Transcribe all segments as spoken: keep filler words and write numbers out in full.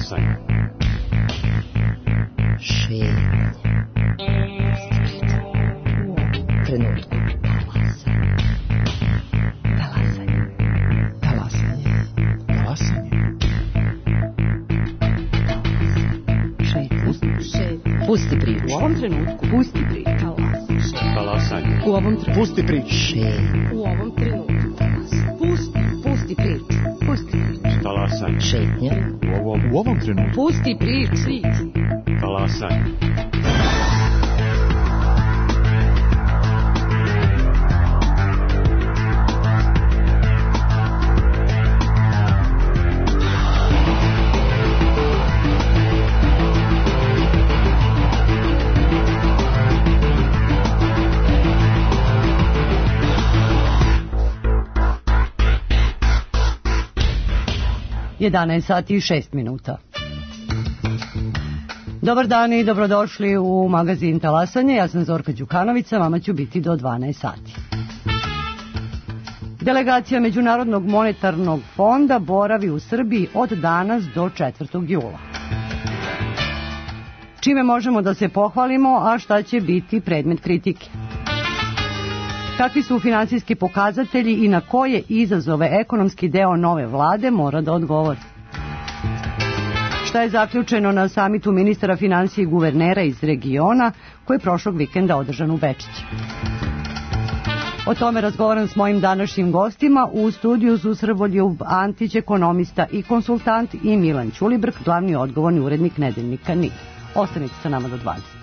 Talasanje. Šetnje. Trenutku. Talasanje. Talasanje. Talasanje. Šetnje. Pusti priču. U ovom trenutku. Pusti priču. Talasanje. U ovom trenutku. Pusti priču. Šetnje. U ovom trenutku. Pusti, pusti priču. Pusti priču. Talasanje. Šetnje. U ovom, u ovom trenutku. Pusti priču. Talasanje. jedanaest sati i šest minuta. Dobar dan i dobrodošli u magazin Talasanje. Ja sam Zorka Đukanovića, vama ću biti do dvanaest sati. Delegacija Međunarodnog monetarnog fonda boravi u Srbiji od danas do četvrtog jula. Čime možemo da se pohvalimo, a šta će biti predmet kritike? Kakvi su finansijski pokazatelji i na koje izazove ekonomski deo nove vlade mora da odgovori? Šta je zaključeno na samitu ministara finansija i guvernera iz regiona koji je prošlog vikenda održan u Bečiću? O tome razgovaram s mojim današnjim gostima. U studiju su Srboljub Antić, ekonomista i konsultant, i Milan Ćulibrk, glavni odgovorni urednik nedeljnika N I. Ostanite sa nama do dvadeset.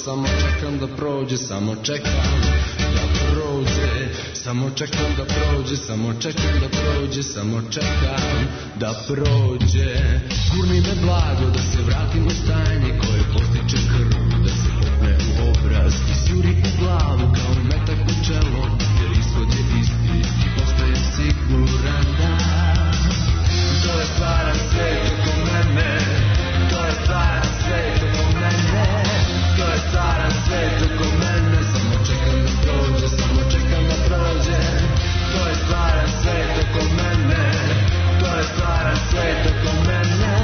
Samo čekam da prođe, samo čekam da prođe, samo čekam da prođe, samo čekam da prođe, samo čekam da prođe. Gurni me blago da se vratim u stanje koje postiče krv, da se popne u obraz i sjuri u glavu kao metak u čelo, jer ishod je isti i postajem siguran da to je stvaran svet oko mene, to je stvaran svet oko mene, to je stvaran svet oko mene, samo čekam da prođe, samo čekam da prođe, to je stvaran svet oko mene, to je stvaran svet oko mene,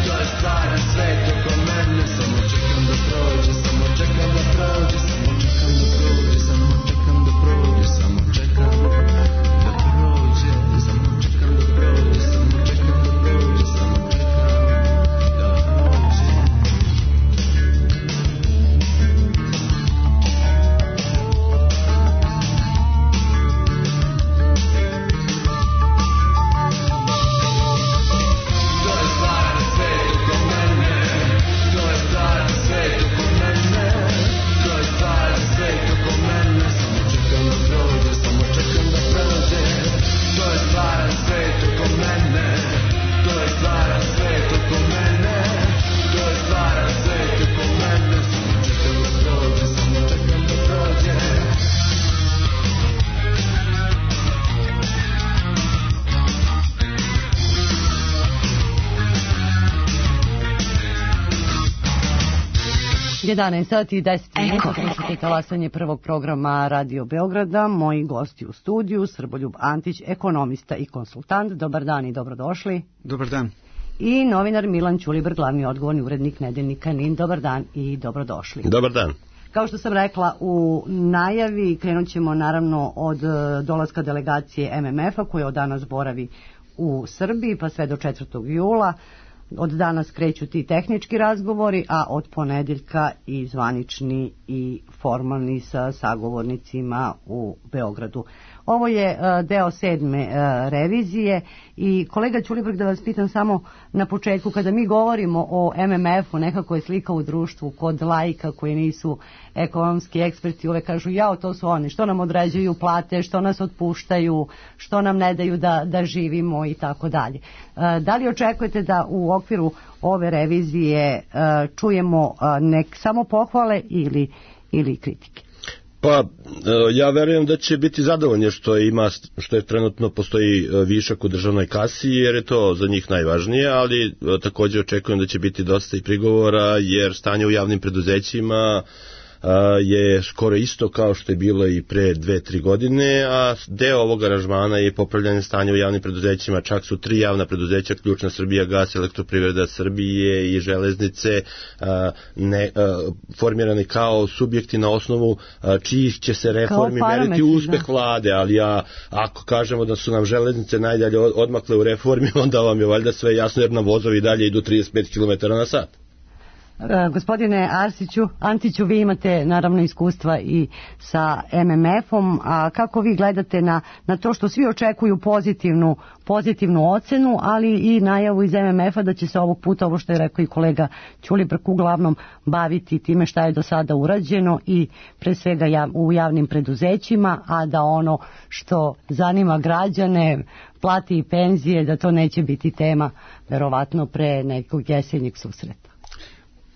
to je stvaran svet oko mene, samo čekam da prođe, samo čekam da prođe, samo čekam da prođe, samo čekam da prođe, samo čekam da prođe, samo čekam da prođe, samo čekam da prođe, samo čekam. jedanaest sati i deset minuta, slušate Talasanje prvog programa Radio Beograda. Moji gosti u studiju, Srboljub Antić, ekonomista i konsultant. Dobar dan i dobrodošli. Dobar dan. I novinar Milan Ćulibrk, glavni odgovorni urednik nedeljnika N I. Dobar dan i dobrodošli. Dobar dan. Kao što sam rekla u najavi, krenut ćemo naravno od dolaska delegacije M M F-a koja od danas boravi u Srbiji pa sve do četvrtog jula. Od danas kreću ti tehnički razgovori, a od ponedeljka i zvanični i formalni sa sagovornicima u Beogradu. Ovo je uh, deo sedme uh, revizije i kolega Ćulibrk, da vas pitam samo na početku, kada mi govorimo o M M F-u, nekako je slika u društvu kod laika koji nisu ekonomski eksperti, uvek kažu jao, to su oni, što nam određuju plate, što nas otpuštaju, što nam ne daju da, da živimo i tako dalje. Da li očekujete da u okviru ove revizije uh, čujemo uh, nek samo pohvale ili, ili kritike? Pa ja verujem da će biti zadovoljni što ima, što je trenutno postoji višak u državnoj kasi, jer je to za njih najvažnije, ali također očekujem da će biti dosta i prigovora, jer stanje u javnim preduzećima je skoro isto kao što je bilo i pre dve, tri godine, a deo ovog aranžmana je popravljanje stanja u javnim preduzećima. Čak su tri javna preduzeća, ključna Srbijagas, Elektroprivreda Srbije i Železnice, ne, formirani kao subjekti na osnovu čijih će se reformi meriti uspeh vlade, ali ja, ako kažemo da su nam železnice najdalje odmakle u reformi, onda vam je valjda sve jasno, jer nam vozovi dalje idu trideset pet kilometara na sat. Uh, gospodine Arsiću, Antiću, vi imate naravno iskustva i sa M M F-om, a kako vi gledate na, na to što svi očekuju pozitivnu, pozitivnu ocenu, ali i najavu iz M M F-a da će se ovog puta, ovo što je rekao i kolega Ćulibrk, uglavnom baviti time šta je do sada urađeno i pre svega jav, u javnim preduzećima, a da ono što zanima građane, plati i penzije, da to neće biti tema verovatno pre nekog jesenjeg susreta.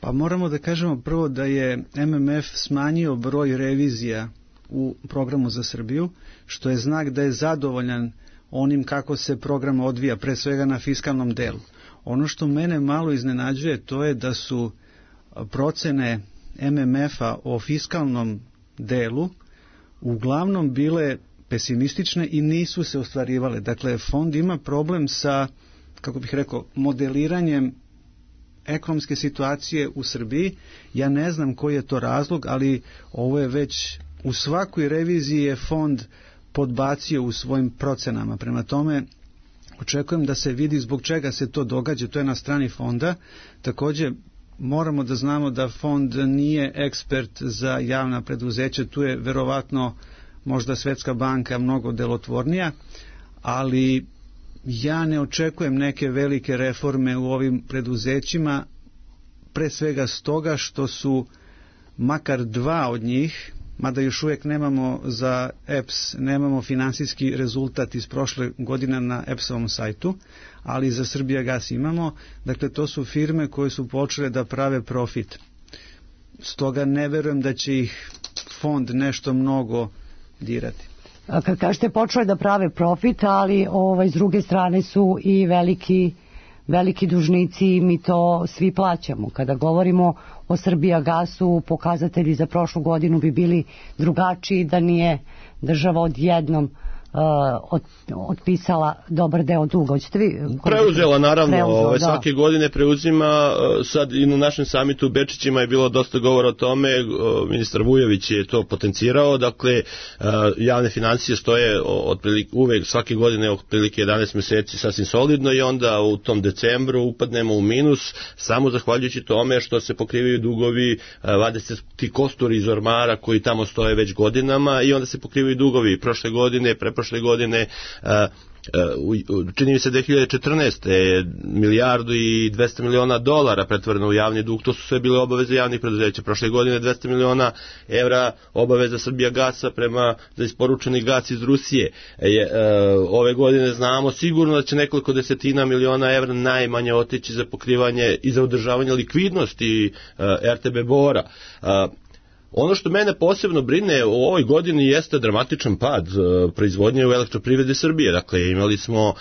Pa moramo da kažemo prvo da je M M F smanjio broj revizija u programu za Srbiju, što je znak da je zadovoljan onim kako se program odvija, pre svega na fiskalnom delu. Ono što mene malo iznenađuje, to je da su procene M M F-a o fiskalnom delu uglavnom bile pesimistične i nisu se ostvarivale. Dakle, fond ima problem sa, kako bih rekao, modeliranjem ekonomske situacije u Srbiji. Ja ne znam koji je to razlog, ali ovo je već u svakoj reviziji je fond podbacio u svojim procenama. Prema tome, očekujem da se vidi zbog čega se to događa, to je na strani fonda. Također, moramo da znamo da fond nije ekspert za javna preduzeća, tu je verovatno možda Svetska banka mnogo delotvornija, ali ja ne očekujem neke velike reforme u ovim preduzećima, pre svega stoga što su makar dva od njih, mada još uvijek nemamo za E P S, nemamo finansijski rezultat iz prošle godine na E P S-ovom sajtu, ali za Srbijagas imamo. Dakle, to su firme koje su počele da prave profit. Stoga ne verujem da će ih fond nešto mnogo dirati. Kad kažete počeli da prave profit, ali ovaj, s druge strane su i veliki, veliki dužnici i mi to svi plaćamo. Kada govorimo o Srbijagasu, pokazatelji za prošlu godinu bi bili drugačiji da nije država odjednom Uh, od, otpisala dobar deo duga. Hoćete vi? Preuzela, naravno. Preuzela, ove, svake godine preuzima. Sad i na našem samitu u Bečićima je bilo dosta govora o tome. Ministar Vujović je to potencirao. Dakle, javne financije stoje otprilike, uvek svake godine otprilike jedanaest meseci sasvim solidno i onda u tom decembru upadnemo u minus samo zahvaljujući tome što se pokrivaju dugovi, vade se ti kosturi iz ormara koji tamo stoje već godinama i onda se pokrivaju dugovi. Prošle godine, pre prošle godine, čini mi se dve hiljade četrnaeste milijardu i dvesta miliona dolara pretvoreno u javni dug, to su sve bile obaveze javnih preduzeća. Prošle godine dvesta miliona evra obaveza Srbijagasa prema za isporučeni gas iz Rusije. Ove godine znamo sigurno da će nekoliko desetina miliona evra najmanje otići za pokrivanje i za održavanje likvidnosti R T B Bora. Ono što mene posebno brine u ovoj godini jeste dramatičan pad uh, proizvodnje u Elektroprivredi Srbije. Dakle, imali smo uh,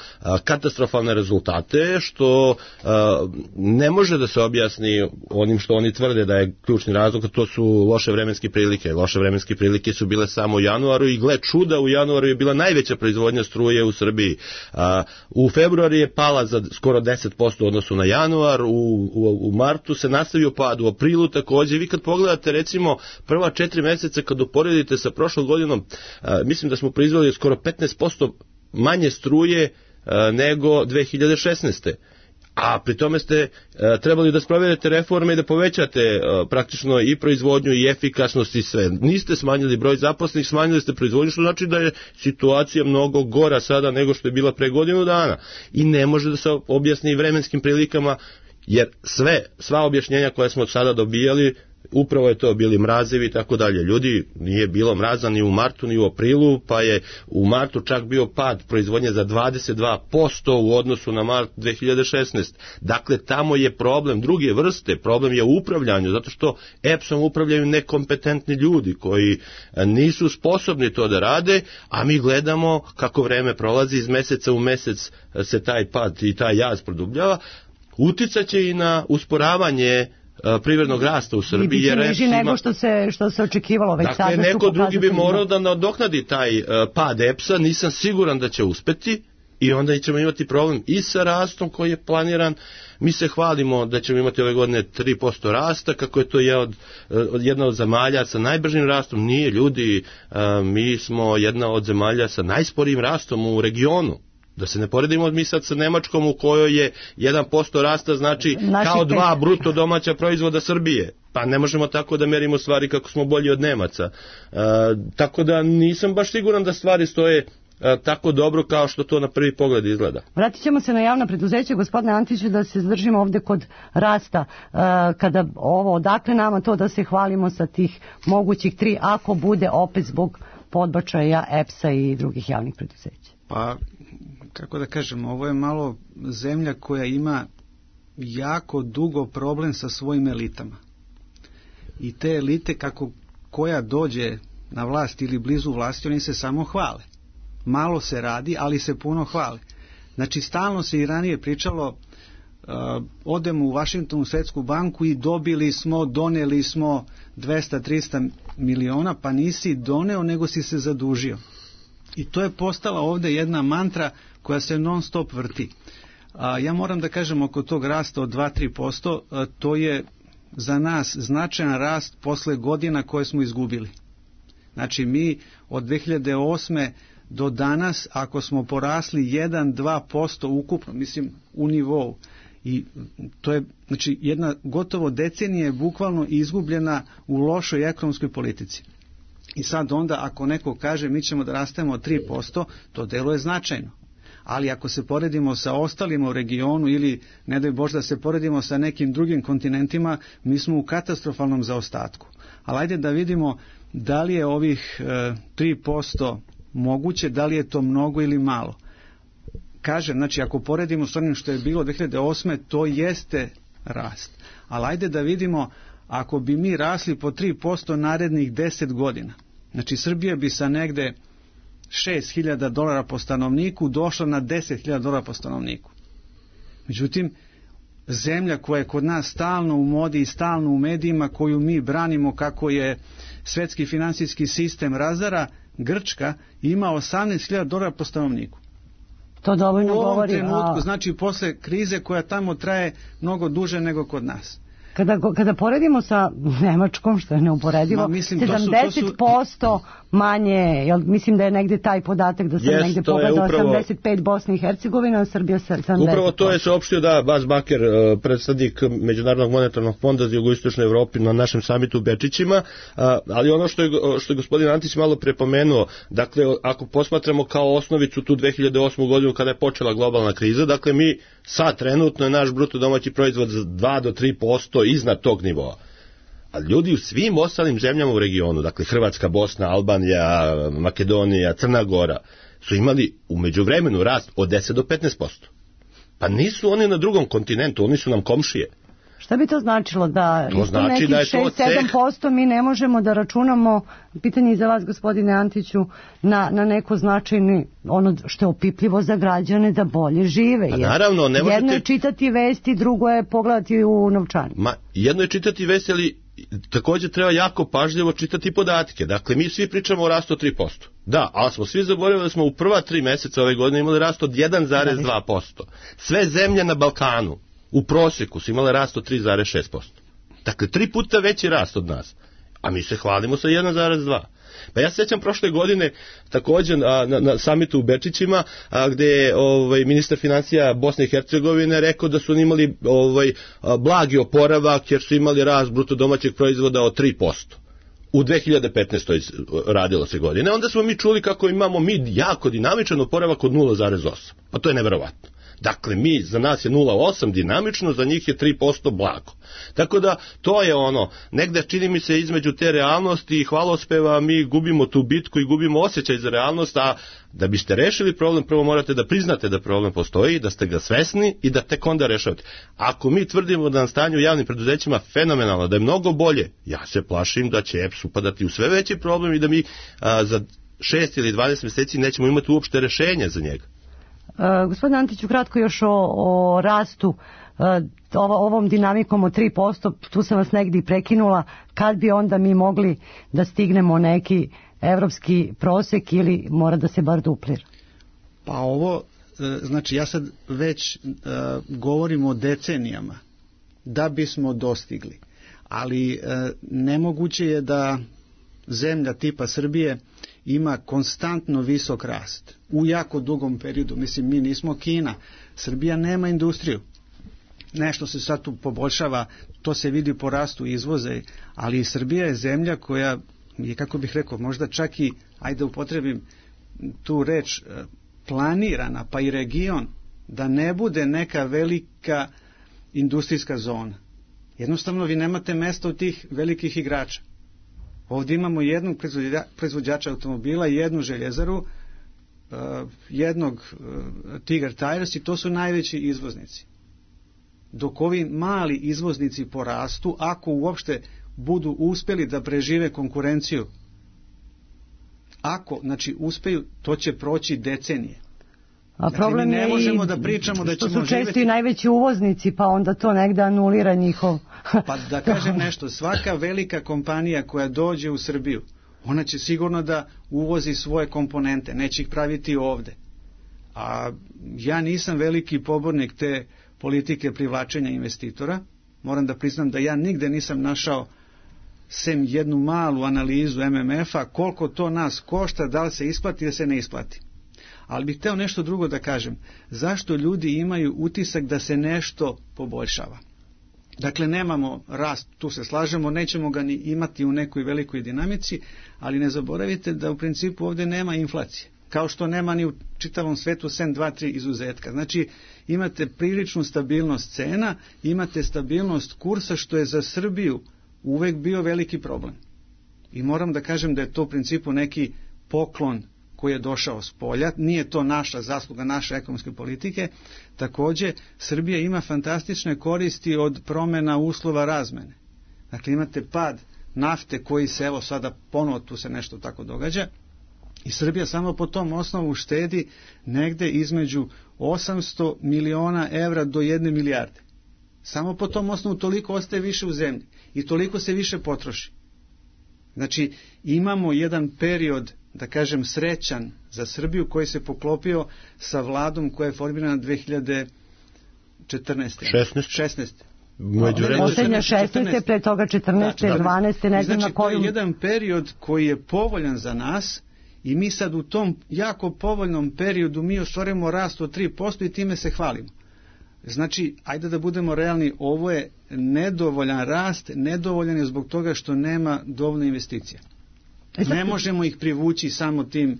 katastrofalne rezultate, što uh, ne može da se objasni onim što oni tvrde da je ključni razlog, to su loše vremenske prilike. Loše vremenske prilike su bile samo u januaru i gle čuda, u januaru je bila najveća proizvodnja struje u Srbiji. Uh, u februaru je pala za skoro deset posto u odnosu na januar, u, u, u martu se nastavio pad, u aprilu također. Vi kad pogledate recimo prva četiri mjeseca kad uporedite sa prošlom godinom, a, mislim da smo proizveli skoro petnaest posto manje struje nego dve hiljade šesnaeste. A pri tome ste e, trebali da sprovedete reforme i da povećate e, praktično i proizvodnju i efikasnost i sve. Niste smanjili broj zaposlenih, smanjili ste proizvodnju, što znači da je situacija mnogo gora sada nego što je bila pre godinu dana. I ne može da se objasni vremenskim prilikama, jer sve, sva objašnjenja koje smo sada dobijali, upravo je to bili mrazevi i tako dalje. Ljudi, nije bilo mraza ni u martu ni u aprilu, pa je u martu čak bio pad proizvodnje za dvadeset dva posto u odnosu na mart dve hiljade šesnaeste. Dakle, tamo je problem druge vrste, problem je u upravljanju, zato što E P S-om upravljaju nekompetentni ljudi koji nisu sposobni to da rade, a mi gledamo kako vreme prolazi, iz meseca u mesec se taj pad i taj jaz produbljava. Uticaće i na usporavanje privrednog rasta u Srbiji. I biće niži nego što se, što se očekivalo već sada. Dakle, neko drugi bi morao da nadoknadi taj uh, pad E P S-a, nisam siguran da će uspeti i onda ćemo imati problem i sa rastom koji je planiran. Mi se hvalimo da ćemo imati ove godine tri posto rasta, kako je to je od, jedna od zemalja sa najbržim rastom. Nije, ljudi, uh, mi smo jedna od zemalja sa najsporijim rastom u regionu. Da se ne poredimo mi sad sa Nemačkom u kojoj je jedan posto rasta znači Naši kao dva pet. bruto domaća proizvoda Srbije. Pa ne možemo tako da merimo stvari kako smo bolji od Nemaca. E, tako da nisam baš siguran da stvari stoje e, tako dobro kao što to na prvi pogled izgleda. Vratit ćemo se na javna preduzeća, gospodine Antiću, da se zadržimo ovde kod rasta. E, kada ovo, odakle nama to da se hvalimo sa tih mogućih tri, ako bude opet zbog podbačaja E P S-a i drugih javnih preduzeća? Pa, kako da kažem, ovo je malo zemlja koja ima jako dugo problem sa svojim elitama. I te elite, kako koja dođe na vlast ili blizu vlasti, oni se samo hvale. Malo se radi, ali se puno hvale. Znači, stalno se i ranije pričalo, uh, odemo u Vašingtonu, u Svetsku banku i dobili smo, doneli smo dvesta do trista miliona, pa nisi doneo, nego si se zadužio. I to je postala ovde jedna mantra koja se non stop vrti. A, ja moram da kažem oko tog rasta od dva do tri posto, a, to je za nas značajan rast posle godina koje smo izgubili. Znači mi od dve hiljade osme do danas, ako smo porasli jedan do dva posto ukupno, mislim u nivou, i to je, znači, jedna gotovo decenija je bukvalno izgubljena u lošoj ekonomskoj politici. I sad onda ako neko kaže mi ćemo da rastemo od tri posto, to deluje značajno. Ali ako se poredimo sa ostalima u regionu ili ne daj Bože da se poredimo sa nekim drugim kontinentima, mi smo u katastrofalnom zaostatku. Ali ajde da vidimo da li je ovih e, tri posto moguće, da li je to mnogo ili malo. Kažem, znači ako poredimo s onim što je bilo dve hiljade osme, to jeste rast. Ali ajde da vidimo ako bi mi rasli po tri posto narednih deset godina, znači Srbija bi sa negde šest hiljada dolara po stanovniku došla na deset hiljada dolara po stanovniku. Međutim, zemlja koja je kod nas stalno u modi i stalno u medijima, koju mi branimo kako je svetski finansijski sistem razara, Grčka ima osamnaest hiljada dolara po stanovniku. To dovoljno govori. U ovom trenutku, a... znači posle krize koja tamo traje mnogo duže nego kod nas. Kada, kada poredimo sa Nemačkom, što je neuporedivo, Ma, mislim, sedamdeset posto manje, jel, mislim da je negde taj podatak da sam yes, negde pogledao upravo, osamdeset pet Bosne i Hercegovina, a Srbija sedamdeset posto. Upravo to je saopštio da Bas Baker, predstavnik Međunarodnog monetarnog fonda za jugoistočnu Evropu na našem samitu u Bečićima, ali ono što je, što je gospodin Antić malo prepomenuo, dakle, ako posmatramo kao osnovicu tu dve hiljade osmu godinu kada je počela globalna kriza, dakle mi sad trenutno je naš bruto domaći proizvod za dva do tri posto iznad tog nivoa. A ljudi u svim ostalim zemljama u regionu, dakle Hrvatska, Bosna, Albanija, Makedonija, Crna Gora, su imali u međuvremenu rast od deset do petnaest posto. Pa nisu oni na drugom kontinentu, oni su nam komšije. Šta bi to značilo? Da to znači da je to šest do sedam posto mi ne možemo da računamo, pitanje za vas gospodine Antiću, na, na neko značajni, ono što je opipljivo za građane da bolje žive. A naravno, ne možete... Jedno je čitati vesti, drugo je pogledati u novčani. Ma, jedno je čitati vesti, ali također treba jako pažljivo čitati podatke. Dakle, mi svi pričamo o rastu od tri posto. Da, ali smo svi zaboravili da smo u prva tri meseca ove godine imali rast od jedan zarez dva posto. Sve zemlje na Balkanu u prosjeku su imale rast od tri zarez šest posto. Dakle, tri puta veći rast od nas. A mi se hvalimo sa jedan zarez dva. Pa ja se sjećam prošle godine također na, na, na samitu u Bečićima, a, gde je ovaj, ministar financija Bosne i Hercegovine rekao da su oni imali ovaj, blagi oporavak jer su imali rast bruto domaćeg proizvoda od tri posto. U dve hiljade petnaestoj radilo se godine. Onda smo mi čuli kako imamo mi jako dinamičan oporavak od nula zarez osam. Pa to je neverovatno. Dakle, mi, za nas je nula zarez osam dinamično, za njih je tri posto blago. Tako da, to je ono, negde čini mi se između te realnosti i hvalospeva mi gubimo tu bitku i gubimo osjećaj za realnost, a da biste rešili problem, prvo morate da priznate da problem postoji, da ste ga svesni i da tek onda rešavate. Ako mi tvrdimo da na stanju u javnim preduzećima fenomenalno, da je mnogo bolje, ja se plašim da će E P S upadati u sve veći problem i da mi a, za šest ili dvanaest mjeseci nećemo imati uopšte rešenje za njega. Uh, gospodin Antiću, kratko još o, o rastu, uh, ovo, ovom dinamikom od tri posto, tu sam vas negdje prekinula, kad bi onda mi mogli da stignemo neki evropski prosek ili mora da se bar duplira? Pa ovo, znači ja sad već uh, govorim o decenijama da bismo dostigli, ali uh, nemoguće je da zemlja tipa Srbije ima konstantno visok rast u jako dugom periodu. Mislim, mi nismo Kina. Srbija nema industriju. Nešto se sad tu poboljšava, to se vidi po rastu izvoza, ali Srbija je zemlja koja je, kako bih rekao, možda čak i, ajde upotrebim tu reč, planirana, pa i region, da ne bude neka velika industrijska zona. Jednostavno vi nemate mesta u tih velikih igrača. Ovdje imamo jednog proizvođača automobila, jednu željezaru, jednog Tiger Tires i to su najveći izvoznici. Dok ovi mali izvoznici porastu, ako uopšte budu uspjeli da prežive konkurenciju, ako, znači, uspeju, to će proći decenije. A problem znači, mi ne je možemo i da pričamo da ćemo što su često živjeti... i najveći uvoznici, pa onda to negde anulira njihov... Pa da kažem nešto, svaka velika kompanija koja dođe u Srbiju, ona će sigurno da uvozi svoje komponente, neće ih praviti ovde. A ja nisam veliki pobornik te politike privlačenja investitora. Moram da priznam da ja nigde nisam našao, sem jednu malu analizu M M F-a, koliko to nas košta, da li se isplati ili se ne isplati. Ali bih hteo nešto drugo da kažem. Zašto ljudi imaju utisak da se nešto poboljšava? Dakle, nemamo rast, tu se slažemo, nećemo ga ni imati u nekoj velikoj dinamici, ali ne zaboravite da u principu ovdje nema inflacije. Kao što nema ni u čitavom svetu sem dva, tri izuzetka. Znači, imate priličnu stabilnost cena, imate stabilnost kursa, što je za Srbiju uvek bio veliki problem. I moram da kažem da je to u principu neki poklon koji je došao s polja, nije to naša zasluga, naše ekonomske politike. Također, Srbija ima fantastične koristi od promjena uslova razmene. Dakle, imate pad nafte koji se, evo sada ponovo tu se nešto tako događa, i Srbija samo po tom osnovu štedi negde između osamsto miliona evra do jedne milijarde. Samo po tom osnovu toliko ostaje više u zemlji i toliko se više potroši. Znači, imamo jedan period, da kažem, srećan za Srbiju koji se poklopio sa vladom koja je formirana dve hiljade četrnaeste. šesnaeste. Posljednja šesnaeste, pre toga četrnaeste, da, dvanaeste, ne znam znači, na koju... to je jedan period koji je povoljan za nas i mi sad u tom jako povoljnom periodu mi ostvarujemo rast od tri posto i time se hvalimo. Znači, ajde da budemo realni, ovo je nedovoljan rast, nedovoljan je zbog toga što nema dovoljno investicija. Ne možemo ih privući samo tim uh,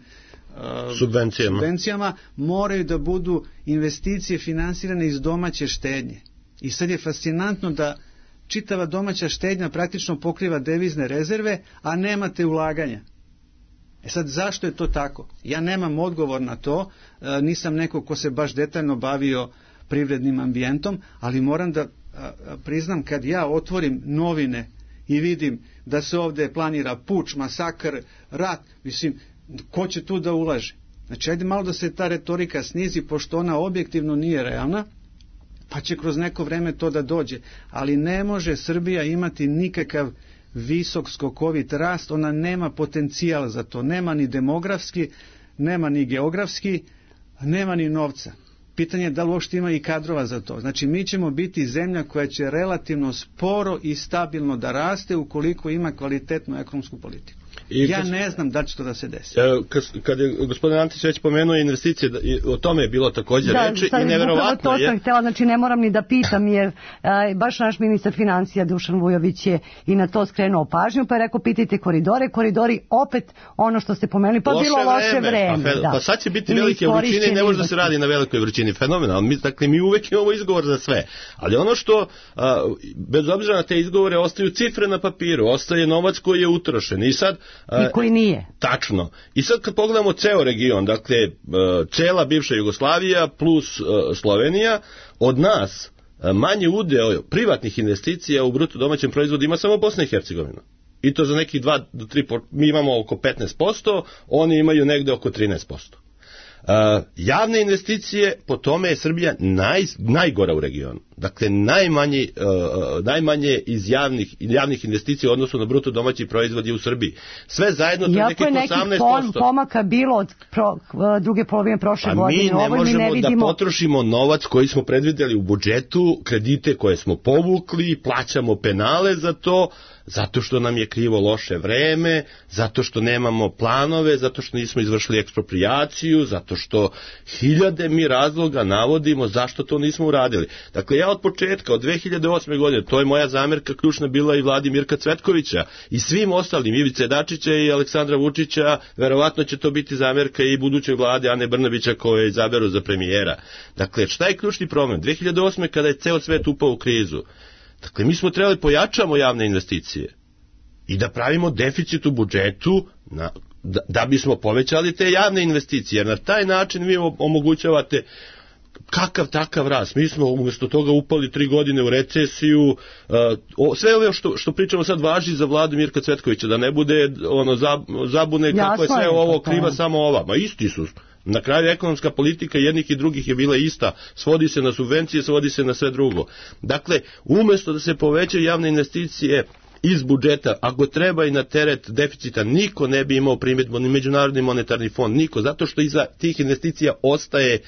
subvencijama. subvencijama, moraju da budu investicije finansirane iz domaće štednje. I sad je fascinantno da čitava domaća štednja praktično pokriva devizne rezerve, a nemate ulaganja. E sad, zašto je to tako? Ja nemam odgovor na to, uh, nisam neko ko se baš detaljno bavio privrednim ambijentom, ali moram da uh, priznam, kad ja otvorim novine i vidim da se ovdje planira puč, masakr, rat, mislim, ko će tu da ulaže? Znači, ajde malo da se ta retorika snizi, pošto ona objektivno nije realna, pa će kroz neko vreme to da dođe. Ali ne može Srbija imati nikakav visok skokovit rast, ona nema potencijal za to, nema ni demografski, nema ni geografski, nema ni novca. Pitanje je da li uopšte ima i kadrova za to. Znači, mi ćemo biti zemlja koja će relativno sporo i stabilno da raste ukoliko ima kvalitetnu ekonomsku politiku. I ja kad, ne znam da će to da se desi. e, kad, kad je gospodin Antić već pomenuo investicije, da, i, o tome je bilo također da, reči sad, i neverovatno to je. sam htjela, znači ne moram ni da pitam, jer a, baš naš ministar financija Dušan Vujović je i na to skrenuo pažnju, pa je rekao pitajte koridore, koridori opet ono što ste pomenuli, pa loše bilo loše vreme. Pa, fe, da. pa sad će biti velike vrućine i ne može da se radi na velikoj vrućini. Fenomenalno. Mi, dakle, mi uvek imamo izgovor za sve. Ali ono što, a, bez obzira na te izgovore, ostaju cifre na papiru, ostaje novac koji je utrošen. I sad... A, I koji nije. Tačno. I sad kad pogledamo ceo region, dakle, cela bivša Jugoslavija plus Slovenija, od nas manje udeo privatnih investicija u bruto domaćem proizvodu ima samo Bosna i Hercegovina. I to za nekih dva do tri, mi imamo oko petnaest posto, oni imaju negde oko trinaest posto. Uh, javne investicije, po tome je Srbija naj, najgora u regionu. Dakle, najmanje, uh, najmanje iz javnih, javnih investicija u odnosu na bruto domaći proizvod je u Srbiji. Sve zajedno to je nekih osamnaest posto. Iako je nekih pomaka bilo od pro, druge polovine prošle a godine. Mi ne Ovo možemo mi ne vidimo... da potrošimo novac koji smo predvideli u budžetu, kredite koje smo povukli, plaćamo penale za to, zato što nam je krivo loše vreme, zato što nemamo planove, zato što nismo izvršili eksproprijaciju, zato što hiljade mi razloga navodimo zašto to nismo uradili. Dakle, ja od početka, od dve hiljade osme godine, to je moja zamerka ključna bila i vladi Mirka Cvetkovića i svim ostalim, Ivice Dačića i Aleksandra Vučića, verovatno će to biti zamerka i budućoj vlade Ane Brnabića koje izaberu za premijera. Dakle, šta je ključni problem? dve hiljade osme kada je ceo svet upao u krizu, dakle, mi smo trebali pojačamo javne investicije i da pravimo deficit u budžetu na, da, da bismo povećali te javne investicije, jer na taj način vi omogućavate kakav takav rast. Mi smo umjesto toga upali tri godine u recesiju. Uh, sve ovo što, što pričamo sad važi za vladu Mirka Cvetkovića, da ne bude ono zabune jasno kako je sve je ovo kriva samo ova. Ma isti su. Na kraju ekonomska politika jednih i drugih je bila ista, svodi se na subvencije, svodi se na sve drugo. Dakle, umjesto da se povećaju javne investicije iz budžeta, ako treba i na teret deficita, niko ne bi imao primjedbu, ni Međunarodni monetarni fond, niko, zato što iza tih investicija ostaje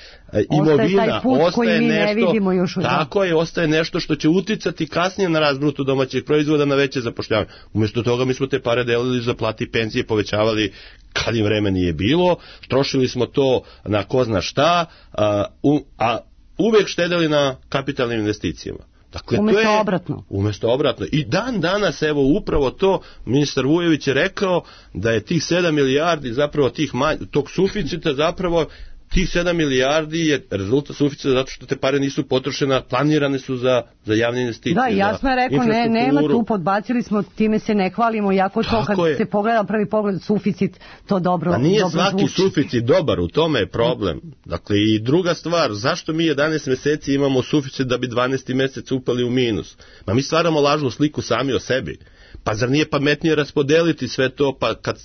imovina, ostaje, ostaje nešto, još tako je, ostaje nešto što će uticati kasnije na rast bruto domaćeg proizvoda, na veće zapošljavanje. Umjesto toga mi smo te pare delili za plati i penzije, povećavali kad im vreme nije bilo, trošili smo to na ko zna šta, a, u, a uvek štedeli na kapitalnim investicijama. Dakle, umjesto to je, obratno. Umjesto obratno. I dan danas, evo, upravo to, ministar Vujović je rekao da je tih sedam milijardi, zapravo tih manj, tog suficita, zapravo tih sedam milijardi je rezultat suficita zato što te pare nisu potrošene, planirane su za, za javne investicije. Da, jasno je rekao, ne, nema tu, podbacili smo, time se ne hvalimo, jako to kad je. Se pogleda prvi pogled suficit, to dobro, a nije dobro svaki zvuči. suficit dobar, u tome je problem. Dakle, i druga stvar, zašto mi jedanaest mjeseci imamo suficit da bi dvanaesti mjesec upali u minus? Ma mi stvaramo lažnu sliku sami o sebi. Pa zar nije pametnije raspodeliti sve to, pa kad...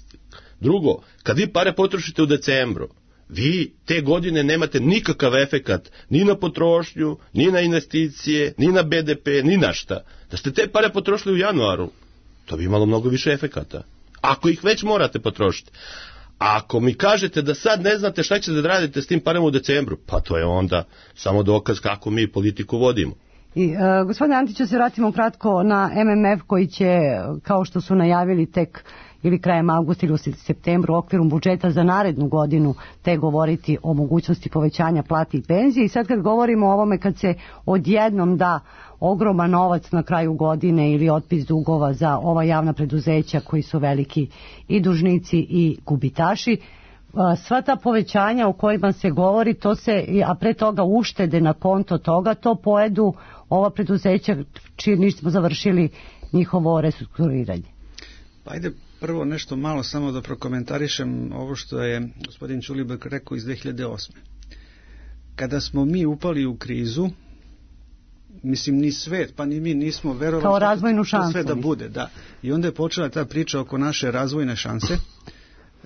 Drugo, kad vi pare potrošite u decembru, vi te godine nemate nikakav efekat ni na potrošnju, ni na investicije, ni na be de pe, ni na šta. Da ste te pare potrošili u januaru, to bi imalo mnogo više efekata. Ako ih već morate potrošiti. A ako mi kažete da sad ne znate šta ćete da radite s tim parama u decembru, pa to je onda samo dokaz kako mi politiku vodimo. I, uh, gospodine Antiću, se vratimo kratko na em em ef koji će, kao što su najavili tek ili krajem avgusta ili u septembru u okviru budžeta za narednu godinu te govoriti o mogućnosti povećanja plati i penzije. I sad kad govorimo o ovome, kad se odjednom da ogroman novac na kraju godine ili otpis dugova za ova javna preduzeća koji su veliki i dužnici i gubitaši, sva ta povećanja o kojima se govori, to se, a pre toga uštede na konto toga, to pojedu ova preduzeća čiji nismo završili njihovo restrukturiranje. Pa ajde prvo nešto malo samo da prokomentarišem ovo što je gospodin Ćulibrk rekao iz dve hiljade osme. Kada smo mi upali u krizu, mislim ni svet, pa ni mi nismo verovali kao razvojnu šansu, sve da bude, da. I onda je počela ta priča oko naše razvojne šanse.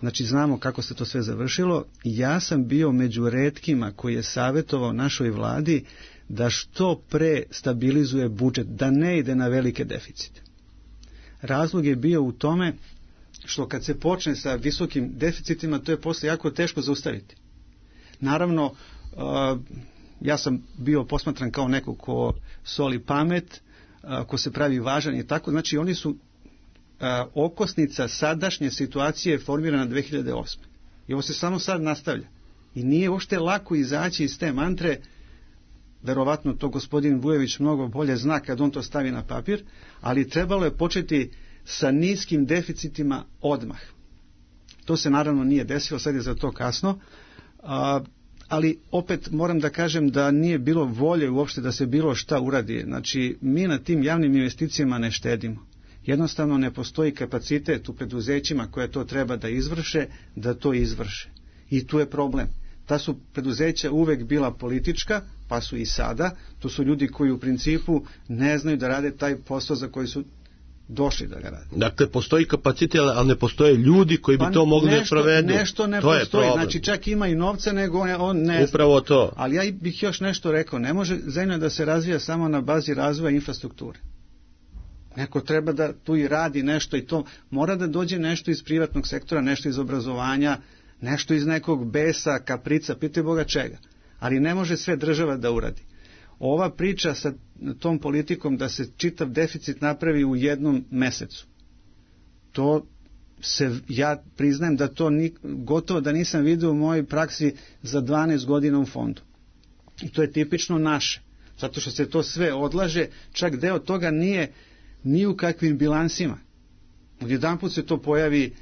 Znači znamo kako se to sve završilo. Ja sam bio među retkima koji je savjetovao našoj vladi da što pre stabilizuje budžet, da ne ide na velike deficite. Razlog je bio u tome što kad se počne sa visokim deficitima, to je posle jako teško zaustaviti. Naravno, uh, ja sam bio posmatran kao neko ko soli pamet, uh, ko se pravi važan i tako, znači oni su a, okosnica sadašnje situacije je formirana dve hiljade osme. I ovo se samo sad nastavlja. I nije uopšte lako izaći iz te mantre, verovatno to gospodin Vujović mnogo bolje zna kad on to stavi na papir, ali trebalo je početi sa niskim deficitima odmah. To se naravno nije desilo, sad je za to kasno, a, ali opet moram da kažem da nije bilo volje uopšte da se bilo šta uradi. Znači, mi na tim javnim investicijama ne štedimo. Jednostavno ne postoji kapacitet u preduzećima koje to treba da izvrše, da to izvrše. I tu je problem. Ta su preduzeća uvek bila politička, pa su i sada. To su ljudi koji u principu ne znaju da rade taj posao za koji su došli da ga rade. Dakle, postoji kapacitet, ali ne postoje ljudi koji bi pa to mogli nešto, da provedu. Nešto ne to postoji. Znači, čak ima i novca, nego on, on ne zna. Upravo to. Ali ja bih još nešto rekao. Ne može zemlja da se razvija samo na bazi razvoja infrastrukture. Neko treba da tu i radi nešto i to mora da dođe nešto iz privatnog sektora, nešto iz obrazovanja, nešto iz nekog besa, kaprica, pitaj Boga čega. Ali ne može sve država da uradi. Ova priča sa tom politikom da se čitav deficit napravi u jednom mesecu, to se, ja priznajem da to ni, gotovo da nisam vidio u mojoj praksi za dvanaest godina u fondu. I to je tipično naše, zato što se to sve odlaže, čak deo toga nije ni u kakvim bilansima. Odjedanput se to pojavi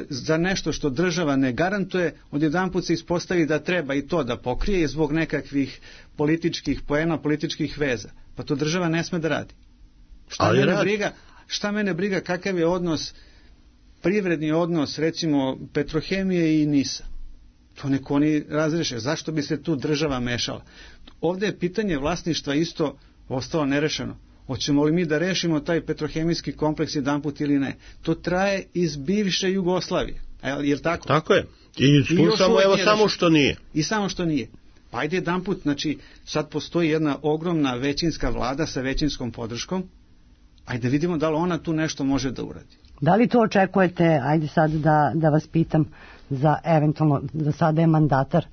za nešto što država ne garantuje, odjedanput se ispostavi da treba i to da pokrije zbog nekakvih političkih poena, političkih veza. Pa to država ne sme da radi. Šta mene radi. briga, šta mene briga kakav je odnos, privredni odnos recimo Petrohemije i NIS-a. To neko oni razreše. Zašto bi se tu država mešala? Ovdje je pitanje vlasništva isto ostalo nerešeno. Hoćemo li mi da rešimo taj petrohemijski kompleks jedanput ili ne? To traje iz bivše Jugoslavije. Je li tako? Tako je. I slušamo evo samo što nije. I samo što nije. Pa ajde jedanput, znači sad postoji jedna ogromna većinska vlada sa većinskom podrškom. Ajde vidimo da li ona tu nešto može da uradi. Da li to očekujete, ajde sad da, da vas pitam, za eventualno, da sada je mandatar,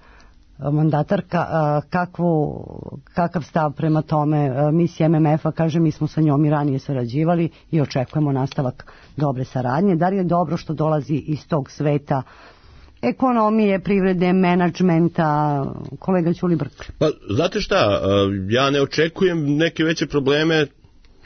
mandatarka, kakvu, kakav stav prema tome misije M M F-a, kaže mi smo sa njom i ranije sarađivali i očekujemo nastavak dobre saradnje. Da li je dobro što dolazi iz tog sveta ekonomije, privrede, menadžmenta, kolega Ćulibrk? Pa, znate šta, ja ne očekujem neke veće probleme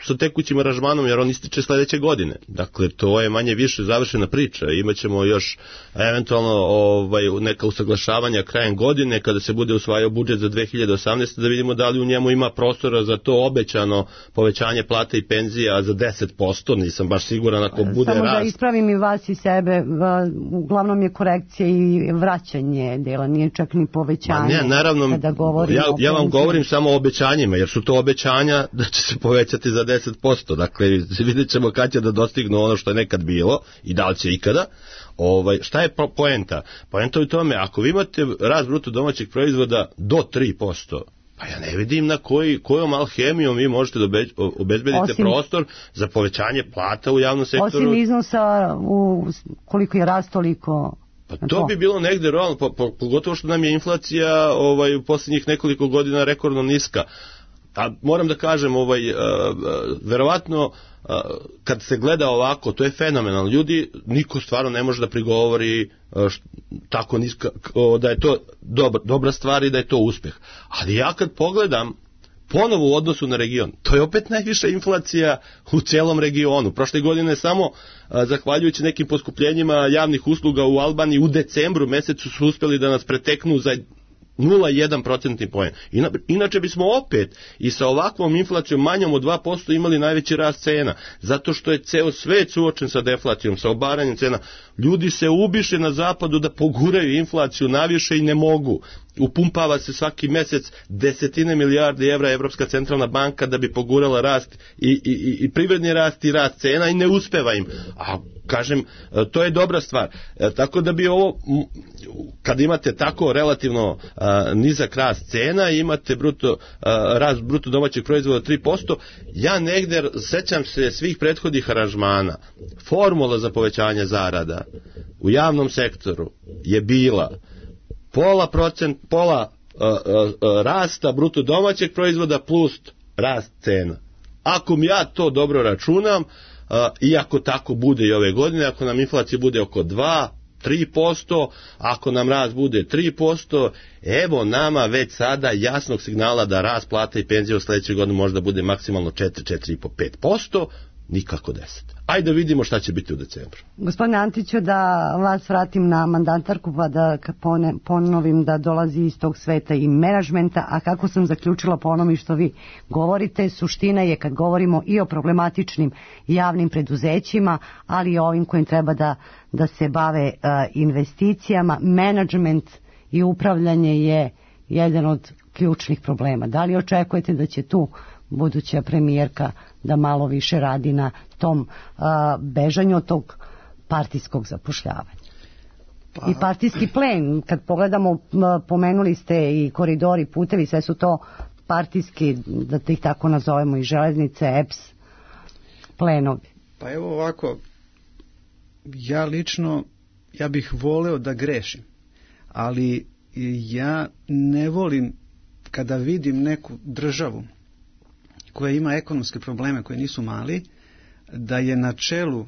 sa tekućim aranžmanom, jer on ističe sledeće godine. Dakle, to je manje više završena priča. Imaćemo još eventualno ovaj, neka usaglašavanja krajem godine, kada se bude usvajao budžet za dve hiljade osamnaeste. da vidimo da li u njemu ima prostora za to obećano povećanje plata i penzija za deset posto. Nisam baš siguran ako bude Samo rast. Samo da ispravim i vas i sebe, uglavnom je korekcija i vraćanje dela, nije čak ni povećanje. Ma ne, naravno, kada ja, ja vam govorim samo o obećanjima, jer su to obećanja da će se povećati za deset posto. Dakle, vidjet ćemo kad će da dostignu ono što je nekad bilo i da li će ikada. Ovaj, šta je poenta? Poenta je u tome, ako vi imate rast bruto domaćeg proizvoda do tri posto, pa ja ne vidim na koji, kojom alhemijom vi možete da obezbedite osim, prostor za povećanje plata u javnom sektoru. Osim iznosa u koliko je rast toliko... Pa to bi bilo negde realno, pogotovo što nam je inflacija ovaj, u posljednjih nekoliko godina rekordno niska. A moram da kažem, ovaj, uh, uh, verovatno uh, kad se gleda ovako, to je fenomenalno. Ljudi, niko stvarno ne može da prigovori uh, št, tako niska, uh, da je to dobra, dobra stvar i da je to uspeh. Ali ja kad pogledam ponovo u odnosu na region, to je opet najviša inflacija u celom regionu. Prošle godine samo, uh, zahvaljujući nekim poskupljenjima javnih usluga u Albaniji, u decembru mesecu su uspeli da nas preteknu za nula zarez jedan procentni poen. Inače bismo opet i sa ovakvom inflacijom manjom od dva posto imali najveći rast cena, zato što je ceo svet suočen sa deflacijom, sa obaranjem cena. Ljudi se ubiše na zapadu da poguraju inflaciju naviše i ne mogu. Upumpava se svaki mesec desetine milijardi evra Evropska centralna banka da bi pogurala rast i, i, i privredni rast i rast cena i ne uspeva im. A kažem, to je dobra stvar. E, tako da bi ovo, kad imate tako relativno a, nizak rast cena, imate bruto, a, rast bruto domaćeg proizvoda tri posto, ja negde sećam se svih prethodnih aranžmana. Formula za povećanje zarada u javnom sektoru je bila pola procent, pola uh, uh, rasta bruto domaćeg proizvoda plus rast cena. Ako mi ja to dobro računam, i ako tako bude i ove godine, ako nam inflacija bude oko dva, tri posto, ako nam rast bude tri posto, evo nama već sada jasnog signala da rast plata i penzija u sledećoj godini možda bude maksimalno četiri, četiri i po, pet posto, nikako deset. Ajde da vidimo šta će biti u decembru. Gospodine Antiću, da vas vratim na mandatarku, pa da ponovim da dolazi iz tog sveta i menadžmenta, a kako sam zaključila po onome što vi govorite, suština je kad govorimo i o problematičnim javnim preduzećima, ali i ovim kojim treba da, da se bave uh, investicijama, menadžment i upravljanje je jedan od ključnih problema. Da li očekujete da će tu buduća premijerka da malo više radi na tom uh, bežanju od tog partijskog zapošljavanja? Pa. I partijski plen, kad pogledamo, uh, pomenuli ste i koridori, putevi, sve su to partijski, da ih tako nazovemo, i železnice, E P S, plenovi. Pa evo ovako, ja lično, ja bih voleo da grešim, ali ja ne volim kada vidim neku državu koja ima ekonomske probleme koje nisu mali, da je na čelu uh,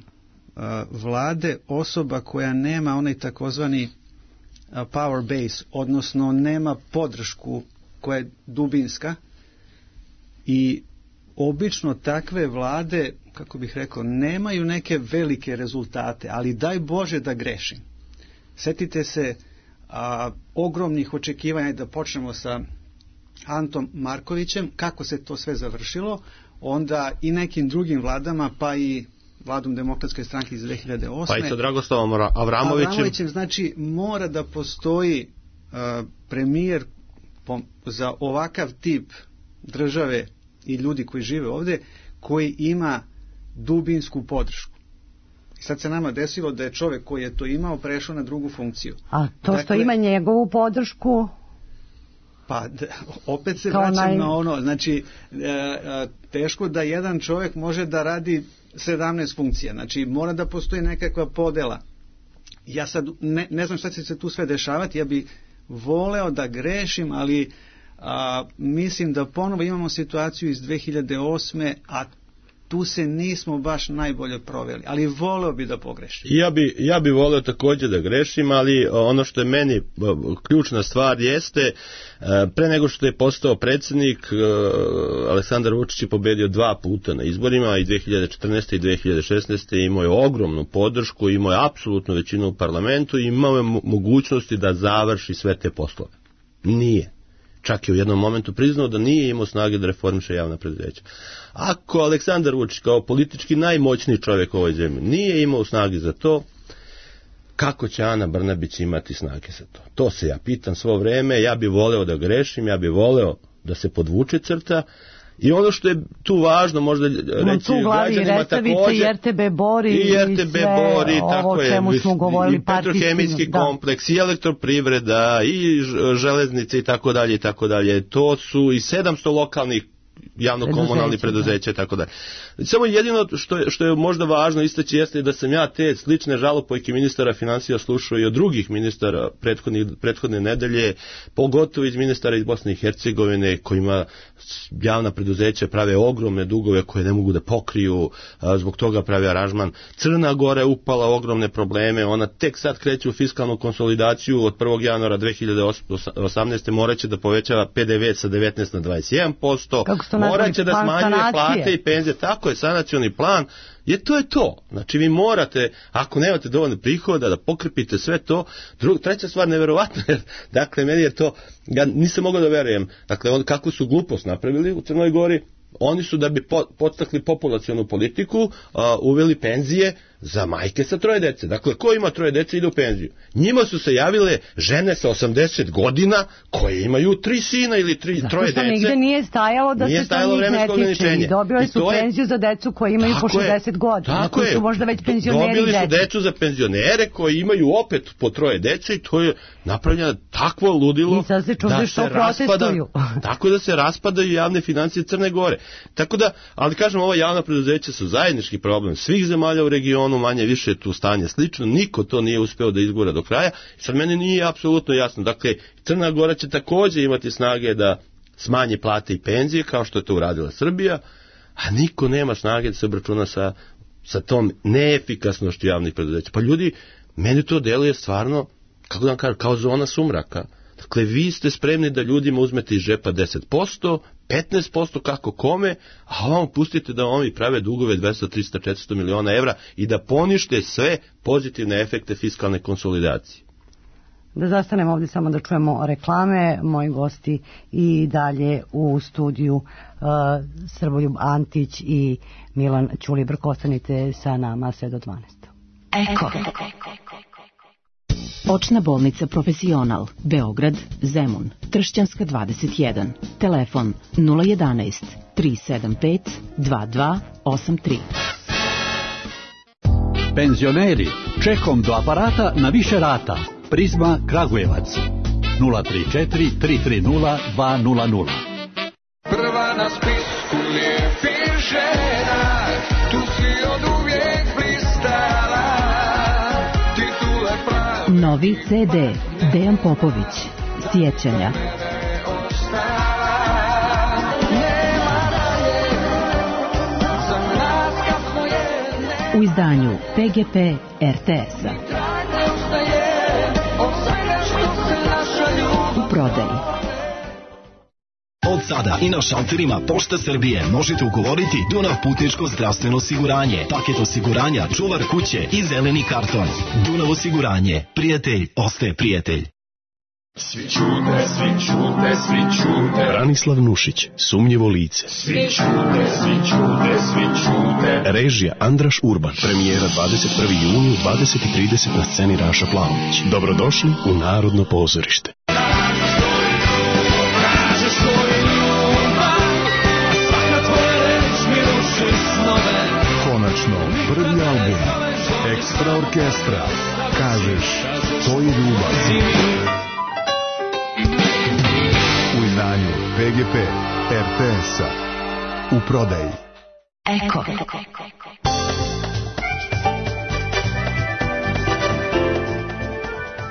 vlade osoba koja nema onaj takozvani uh, power base, odnosno nema podršku koja je dubinska, i obično takve vlade, kako bih rekao, nemaju neke velike rezultate, ali daj Bože da grešim. Setite se uh, ogromnih očekivanja, da počnemo sa Antom Markovićem, kako se to sve završilo, onda i nekim drugim vladama, pa i vladom Demokratske stranke iz dve hiljade osme. Pa i sa Dragoslavom Avramovićem. Avramovićem, znači mora da postoji uh, premijer po, za ovakav tip države i ljudi koji žive ovde, koji ima dubinsku podršku. I sad se nama desilo da je čovek koji je to imao prešao na drugu funkciju. A to dakle, što ima njegovu podršku? Pa opet se Kao vraćam naj... na ono, znači teško da jedan čovjek može da radi sedamnaest funkcija, znači mora da postoji nekakva podela. Ja sad ne, ne znam šta će se tu sve dešavati, ja bi voleo da grešim, ali a, mislim da ponovo imamo situaciju iz dve hiljade osme, a tu se nismo baš najbolje proveli, ali voleo bi da pogrešim. Ja bi, ja bi voleo također da grešim, ali ono što je meni ključna stvar jeste, pre nego što je postao predsjednik, Aleksandar Vučić je pobedio dva puta na izborima, i dve hiljade četrnaeste i dve hiljade šesnaeste imao je ogromnu podršku, imao je apsolutnu većinu u parlamentu i imao je mogućnosti da završi sve te poslove. Nije. Čak je u jednom momentu priznao da nije imao snage da reformiše javna preduzeća. Ako Aleksandar Vučić kao politički najmoćniji čovjek u ovoj zemlji nije imao snage za to, kako će Ana Brnabić imati snage za to? To se ja pitam svo vreme, ja bi voleo da grešim, ja bi voleo da se podvuče crta. I ono što je tu važno možda reći građanima također, i R T B Bori i R T B Bori, i tako je, i petrohemijski kompleks, i elektroprivreda, i železnice i tako dalje i tako dalje. To su i sedamsto lokalnih javno-komunalnih preduzeća i tako dalje. Samo jedino što je, što je možda važno istaći jeste da sam ja te slične žalopojke ministara financija slušao i od drugih ministara prethodne nedelje, pogotovo iz ministara iz Bosne i Hercegovine, kojima javna preduzeća prave ogromne dugove koje ne mogu da pokriju, zbog toga prave aranžman. Crna Gora je upala ogromne probleme, ona tek sad kreće u fiskalnu konsolidaciju, od prvog januara dve hiljade osamnaeste moraće da povećava P D V sa devetnaest na dvadeset jedan posto, moraće da smanjuje plate i penzije, tako je, sanacioni plan, je to je to. Znači vi morate, ako nemate dovoljno prihoda, da pokrpite sve to. Drug, treća stvar, neverovatno, jer, dakle, meni je to, ja nisam mogao da verujem, dakle, on, kako su glupost napravili u Crnoj Gori, oni su da bi po, podstakli populacionu politiku uh, uveli penzije za majke sa troje dece. Dakle, ko ima troje dece ide u penziju. Njima su se javile žene sa osamdeset godina koje imaju tri sina ili tri, troje dece. Zato što nigde nije stajalo da nije se to njih ne tiče. I dobili su je, penziju za decu koje imaju po šezdeset godina. Koji su možda već penzioneri. Dobili su decu za penzionere koji imaju opet po troje dece i to je napravljeno takvo ludilo da se, da se raspada, tako da se raspadaju javne financije Crne Gore. Tako da, ali kažem, ova javna preduzeća su zajednički problem svih zemalja u regionu, manje više tu stanje slično, niko to nije uspeo da izgura do kraja. Sad meni nije apsolutno jasno. Dakle, Crna Gora će također imati snage da smanji plate i penzije, kao što je to uradila Srbija, a niko nema snage da se obračuna sa sa tom neefikasnošću javnih preduzeća. Pa ljudi, meni to deluje stvarno, kako da vam kažem, kao zona sumraka. Dakle, vi ste spremni da ljudima uzmete iz džepa deset posto, petnaest posto kako kome, a vam pustite da oni prave dugove dvesta, trista, četiristo miliona evra i da ponište sve pozitivne efekte fiskalne konsolidacije. Da zastanemo ovdje samo da čujemo reklame. Moji gosti i dalje u studiju uh, Srboljub Antić i Milan Ćulibrk. Ostanite sa nama sve do dvanaest. Eko. Očna bolnica Profesional, Beograd, Zemun, Tršćanska dvadeset jedan. Telefon nula jedanaest, tri sedam pet, dva dva osam tri. Penzioneri, čekom do aparata na više rata. Prizma Kragujevac nula tri četiri, tri tri nula, dva nula nula. Prva na spisku lijepih žena, tu si od uvijek blistala, titule pravi. Novi ce de, Dejan Popović, Sjećanja. U izdanju pe ge pe er te es-a. U prodaji. Od sada i na šalterima Pošta Srbije možete ugovoriti Dunav putničko zdravstveno osiguranje, paket osiguranja, čuvar kuće i zeleni karton. Dunav osiguranje. Prijatelj ostaje prijatelj. Svi čute, svi čute, svi čute. Branislav Nušić, Sumnjivo lice. Svi čute, svi čute, svi čute. Režija Andraš Urban. Premijera dvadeset prvog juna u dvadeset i trideset na sceni Raša Plavović. Dobrodošli u Narodno pozorište. Konačno, prvi album Ekstra orkestra. Kažeš, to je ljubav. U izdanju pe ge pe er te es-a. U prodaji. Eko.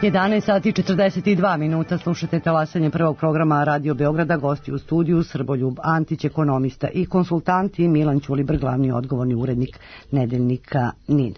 jedanaest sati i četrdeset dva minuta, slušate talasanje prvog programa Radio Beograda. Gosti u studiju Srboljub Antić, ekonomista i konsultant, i Milan Ćulibrk, glavni odgovorni urednik nedeljnika N I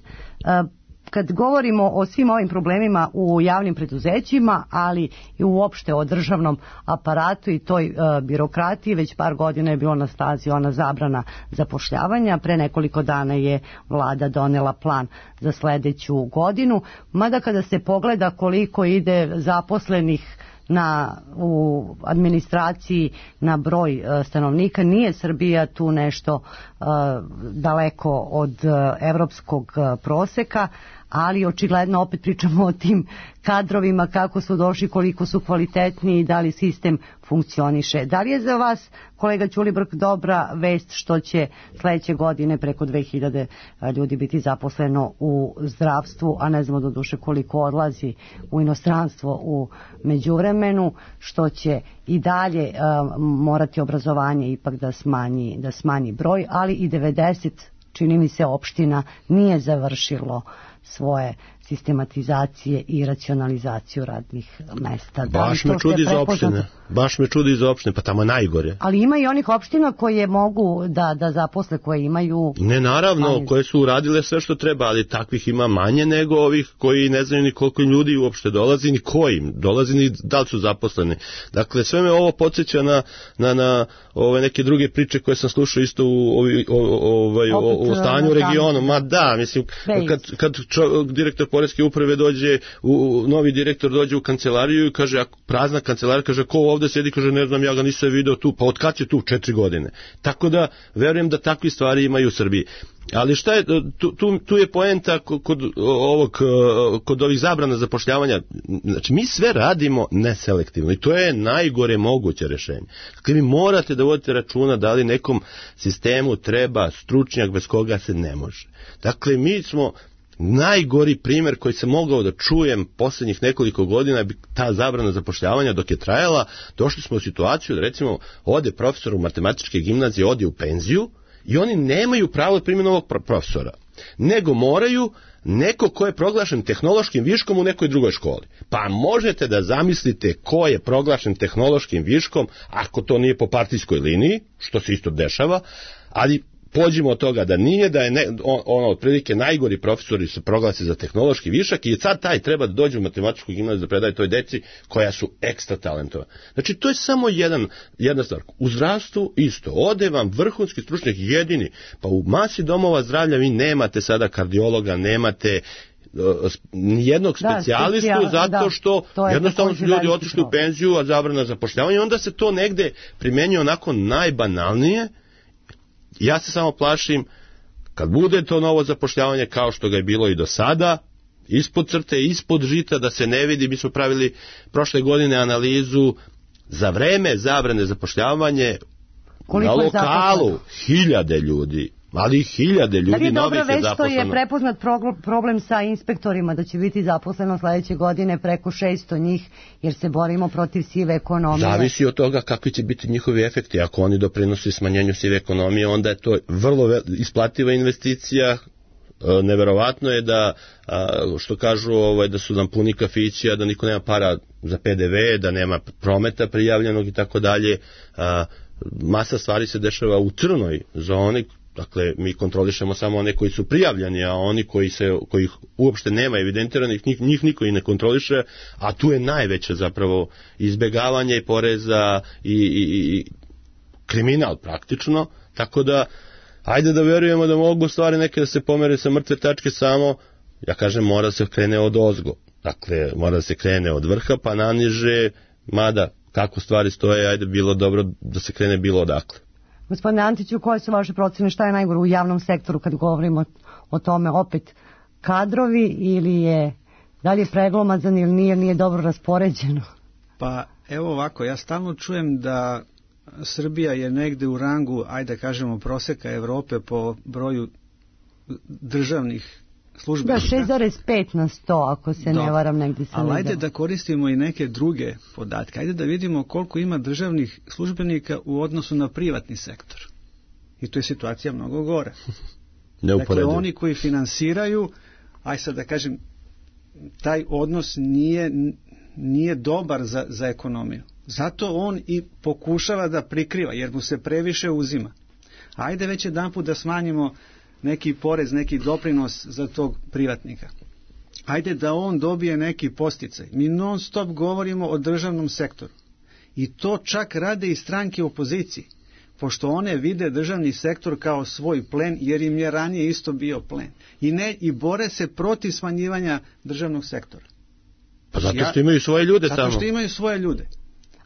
N. Kad govorimo o svim ovim problemima u javnim preduzećima, ali i uopšte o državnom aparatu i toj e, birokratiji, već par godina je bilo na stazi ona zabrana zapošljavanja. Pre nekoliko dana je vlada donela plan za sledeću godinu, mada kada se pogleda koliko ide zaposlenih na, u administraciji na broj e, stanovnika, nije Srbija tu nešto e, daleko od e, evropskog e, proseka, ali očigledno opet pričamo o tim kadrovima, kako su došli, koliko su kvalitetni i da li sistem funkcioniše. Da li je za vas, kolega Ćulibrk, dobra vest što će sledeće godine preko dve hiljade ljudi biti zaposleno u zdravstvu, a ne znamo do duše koliko odlazi u inostranstvo u međuvremenu, što će i dalje uh, morati obrazovanje ipak da smanji, da smanji broj, ali i devedeset, čini mi se, opština nije završilo svoje sistematizacije i racionalizaciju radnih mesta. Da baš me čudi za opštine. Baš me čudi za opštine, pa tamo je najgore. Ali ima i onih opština koje mogu da, da zaposle, koje imaju... Ne, naravno, manje, koje su uradile sve što treba, ali takvih ima manje nego ovih koji ne znaju ni koliko ljudi uopšte dolazi, ni kojim dolazi, ni da li su zaposleni. Dakle, sve me ovo podsjeća na, na, na ove neke druge priče koje sam slušao isto u, ovi, o, ovaj, o, o stanju u regionu. Ma da, mislim, kad, kad čo, direktor poreske uprave dođe, u, novi direktor dođe u kancelariju i kaže, prazna kancelarija, kaže, ko ovde sedi, kaže, ne znam, ja ga nisam video tu, pa od kad je tu? Četiri godine. Tako da, verujem da takvi stvari imaju u Srbiji. Ali šta je, tu, tu, tu je poenta kod ovog, kod ovih zabrana zapošljavanja. Znači, mi sve radimo neselektivno i to je najgore moguće rešenje. Dakle, vi morate da vodite računa da li nekom sistemu treba stručnjak bez koga se ne može. Dakle, mi smo najgori primjer koji sam mogao da čujem posljednjih nekoliko godina, ta zabrana zapošljavanja dok je trajala, došli smo u situaciju da recimo ode profesor u matematičke gimnazije, ode u penziju i oni nemaju pravo da primjenu ovog profesora, nego moraju neko ko je proglašen tehnološkim viškom u nekoj drugoj školi. Pa možete da zamislite ko je proglašen tehnološkim viškom, ako to nije po partijskoj liniji, što se isto dešava, ali pođimo od toga da nije, da je ne, on, ono, otprilike najgori profesori se proglasi za tehnološki višak i sad taj treba da dođe u matematičku gimnaziju da predaje toj deci koja su ekstra talentovana. Znači, to je samo jedan, jedna stvar. U zdravstvu isto. Ode vam vrhunski stručnjak jedini. Pa u masi domova zdravlja vi nemate sada kardiologa, nemate nijednog specijalistu, da, specijal, zato što da, jednostavno su ljudi otišli u penziju, a zabrana zapošljavanja, i onda se to negde primenjuje onako najbanalnije. Ja se samo plašim, kad bude to novo zapošljavanje kao što ga je bilo i do sada, ispod crte, ispod žita, da se ne vidi. Mi smo pravili prošle godine analizu za vreme zabrane zapošljavanje. Koliko na lokalu hiljade ljudi, ali hiljade ljudi novih je zaposleno. Da li je dobra već što je prepoznat problem sa inspektorima, da će biti zaposleno sledeće godine preko šesto njih, jer se borimo protiv sive ekonomije? Zavisi od toga kakvi će biti njihovi efekti. Ako oni doprinose smanjenju sive ekonomije, onda je to vrlo isplativa investicija. Neverovatno je da, što kažu, ovaj, da su nam puni kafići, a da niko nema para za P D V, da nema prometa prijavljenog i tako dalje. Masa stvari se dešava u crnoj zoni. Dakle, mi kontrolišemo samo one koji su prijavljeni, a oni koji se, kojih uopšte nema evidentiranih, njih, njih niko i ne kontroliše, a tu je najveće zapravo izbegavanje i poreza i, i, i kriminal praktično, tako da ajde da verujemo da mogu stvari neke da se pomere sa mrtve tačke, samo, ja kažem, mora da se krene od ozgo. Dakle, mora da se krene od vrha pa naniže, mada kako stvari stoje, ajde bilo dobro da se krene bilo odakle. Gospodine Antiću, koje su vaše procene, šta je najgore u javnom sektoru kad govorimo o tome, opet kadrovi ili je, da li je preglomazan ili nije, nije dobro raspoređeno? Pa evo ovako, ja stalno čujem da Srbija je negde u rangu, ajde da kažemo, proseka Evrope po broju državnih službenika. Da, šest zarez pet na sto, ako se Do. ne varam, negdje sam Ali ajde da koristimo i neke druge podatke. Ajde da vidimo koliko ima državnih službenika u odnosu na privatni sektor. I tu je situacija mnogo gore. Dakle, oni koji finansiraju, aj sad da kažem, taj odnos nije, nije dobar za, za ekonomiju. Zato on i pokušava da prikriva, jer mu se previše uzima. Ajde već jedanput da smanjimo neki porez, neki doprinos za tog privatnika. Ajde da on dobije neki podsticaj. Mi non stop govorimo o državnom sektoru. I to čak rade i stranke opozicije, pošto one vide državni sektor kao svoj plen, jer im je ranije isto bio plen. I, ne, i bore se protiv smanjivanja državnog sektora. Pa zato što imaju svoje ljude zato tamo. Zato što imaju svoje ljude.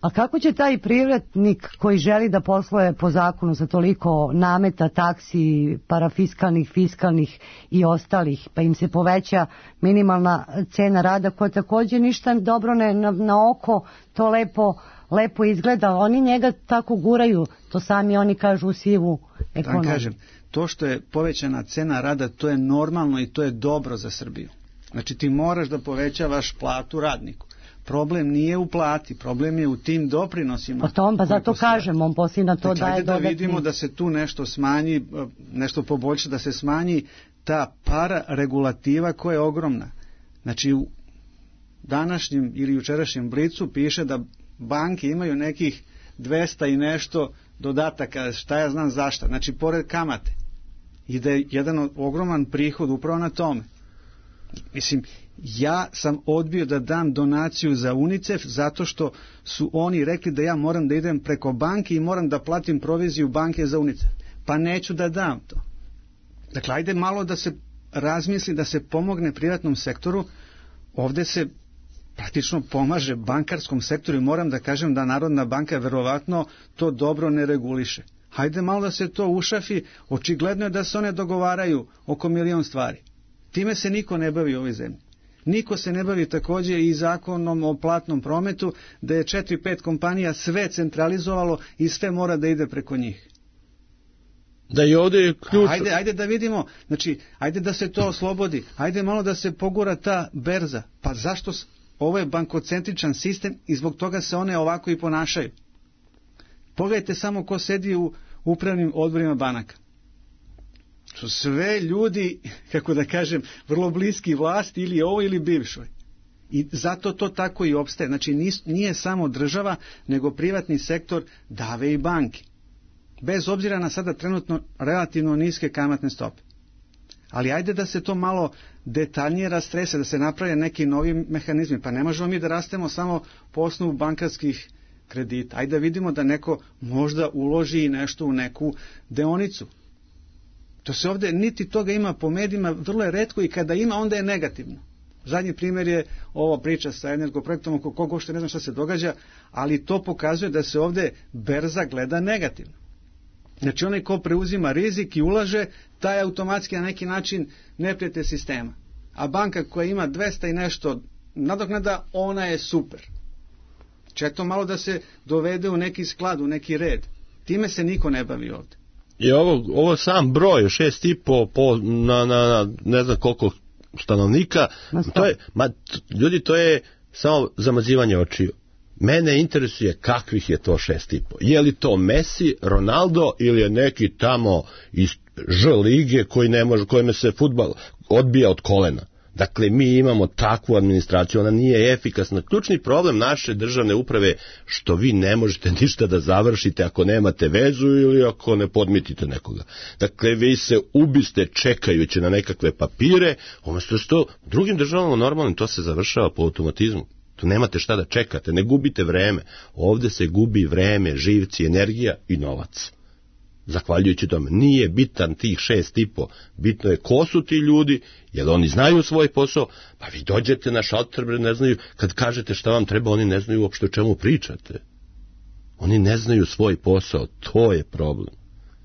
A kako će taj privrednik koji želi da posluje po zakonu za toliko nameta, taksi, parafiskalnih, fiskalnih i ostalih, pa im se poveća minimalna cena rada, koja također ništa dobro ne, na, na oko to lepo, lepo izgleda. Oni njega tako guraju, to sami oni kažu u sivu ekonomiju. Da kažem, to što je povećana cena rada, to je normalno i to je dobro za Srbiju. Znači ti moraš da povećavaš platu radniku. Problem nije u plati, problem je u tim doprinosima. Pa to on, pa zato kažem, on poslije na to znači, daje dodatni. Da vidimo da se tu nešto smanji, nešto poboljša, da se smanji ta para regulativa koja je ogromna. Znači u današnjem ili jučerašnjem Blicu piše da banke imaju nekih dvesta i nešto dodataka, šta ja znam zašta, znači pored kamate. I da je jedan ogroman prihod upravo na tome. Mislim, ja sam odbio da dam donaciju za UNICEF zato što su oni rekli da ja moram da idem preko banke i moram da platim proviziju banke za UNICEF. Pa neću da dam to. Dakle, ajde malo da se razmisli, da se pomogne privatnom sektoru. Ovde se praktično pomaže bankarskom sektoru i moram da kažem da Narodna banka verovatno to dobro ne reguliše. Hajde malo da se to ušafi, očigledno je da se one dogovaraju oko milion stvari. Time se niko ne bavi u ovoj zemlji. Niko se ne bavi također i zakonom o platnom prometu, da je četiri pet kompanija sve centralizovalo i sve mora da ide preko njih. Da i ovdje je ključ. Ajde, ajde da vidimo, znači, ajde da se to oslobodi, ajde malo da se pogura ta berza. Pa zašto? Ovo je bankocentričan sistem i zbog toga se one ovako i ponašaju. Pogledajte samo ko sedi u upravnim odborima banaka. Su sve ljudi, kako da kažem, vrlo bliski vlasti ili ovo ili bivšoj. I zato to tako i opstaje. Znači nije samo država, nego privatni sektor dave i banke. bez obzira na sada trenutno relativno niske kamatne stope. Ali ajde da se to malo detaljnije rastrese, da se naprave neki novi mehanizmi. Pa ne možemo mi da rastemo samo po osnovu bankarskih kredita. Ajde da vidimo da neko možda uloži nešto u neku deonicu. To se ovde, niti toga ima po medijima, vrlo je retko i kada ima, onda je negativno. Zadnji primjer je ova priča sa energoprojektom, oko koga uopšte ne znam šta se događa, ali to pokazuje da se ovde berza gleda negativno. Znači onaj ko preuzima rizik i ulaže, taj automatski na neki način neprijatelj sistema. A banka koja ima dvesta i nešto nadoknada, ona je super. Četo malo da se dovede u neki sklad, u neki red. Time se niko ne bavi ovde. I ovo, ovo sam broj, šest i po, po na, na, na ne znam koliko stanovnika, to je, ma, ljudi, to je samo zamazivanje očiju. Mene interesuje kakvih je to šest i po. Je li to Messi, Ronaldo ili je neki tamo iz Ž lige koji ne može, kojime se fudbal odbija od kolena. Dakle, mi imamo takvu administraciju, ona nije efikasna. Ključni problem naše državne uprave što vi ne možete ništa da završite ako nemate vezu ili ako ne podmitite nekoga. Dakle, vi se ubiste čekajući na nekakve papire, umjesto što drugim državama normalnim to se završava po automatizmu. Tu nemate šta da čekate, ne gubite vreme. Ovde se gubi vreme, živci, energija i novac. Zahvaljujući tome, nije bitan tih šest i po, bitno je ko su ti ljudi, jer oni znaju svoj posao, pa vi dođete na šalter, ne znaju, kad kažete šta vam treba, oni ne znaju uopšte o čemu pričate. Oni ne znaju svoj posao, to je problem.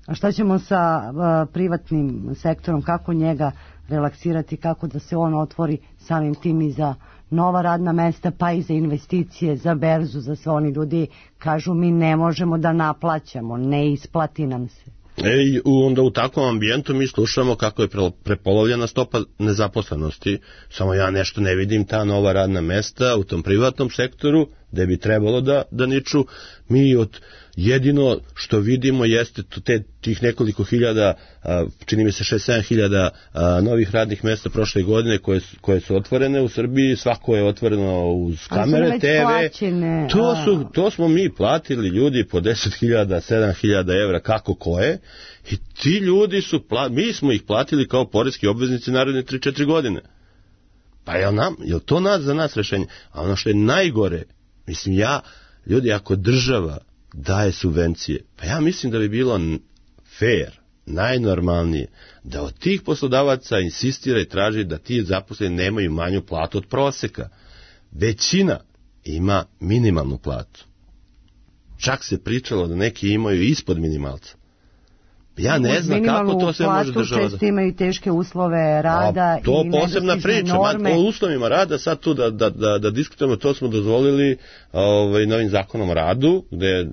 A šta ćemo sa uh, privatnim sektorom, kako njega relaksirati, kako da se on otvori samim tim i za nova radna mesta, pa i za investicije, za berzu, za sve oni ljudi kažu mi ne možemo da naplaćamo, ne isplati nam se. E, onda u takvom ambijentu mi slušamo kako je prepolovljena stopa nezaposlenosti, samo ja nešto ne vidim ta nova radna mesta u tom privatnom sektoru, gde bi trebalo da, da niču. Mi od jedino što vidimo jeste te, tih nekoliko hiljada, čini mi se šest sedam hiljada novih radnih mesta prošle godine koje, koje su otvorene u Srbiji, svako je otvoreno uz kamere, te ve. Plaćene, to, su, to smo mi platili ljudi po deset hiljada, sedam hiljada evra, kako koje, i ti ljudi su, mi smo ih platili kao poreski obveznici naredne tri četiri godine. Pa je nam, je to nas, za nas rešenje? A ono što je najgore, mislim ja, ljudi, ako država daje subvencije, pa ja mislim da bi bilo fair, najnormalnije, da od tih poslodavaca insistira i traži da ti zaposleni nemaju manju platu od proseka. Većina ima minimalnu platu. Čak se pričalo da neki imaju ispod minimalca. Ja ne znam kako to sve može država. Često imaju teške uslove rada. A, to i posebna priča. Ma, o uslovima rada sad tu da, da, da, da diskutujemo, to smo dozvolili ovaj, novim zakonom o radu, gde,